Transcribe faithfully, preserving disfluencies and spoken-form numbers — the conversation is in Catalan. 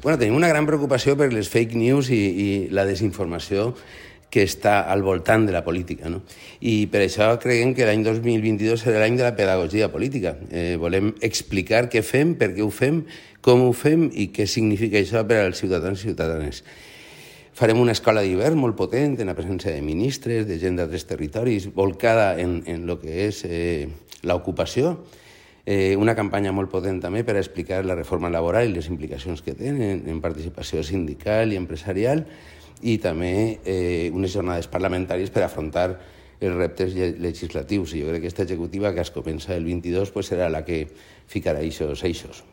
Bueno, tenim una gran preocupació per les fake news i, i la desinformació que està al voltant de la política, no? I per això creiem que l'any dos mil vint-i-dos serà l'any de la pedagogia política. Eh, volem explicar què fem, per què ho fem, com ho fem i què significa això per als ciutadans i ciutadanes. Farem una escola d'hivern molt potent, en la presència de ministres, de gent d'altres territoris, volcada en, en el que és eh, l'ocupació. Eh, una campanya molt potent també per a explicar la reforma laboral i les implicacions que tenen en participació sindical i empresarial, i també eh, unes jornades parlamentàries per afrontar els reptes legislatius. I jo crec que aquesta executiva, que es comença el vint-i-dos, pues serà la que ficarà eixos eixos.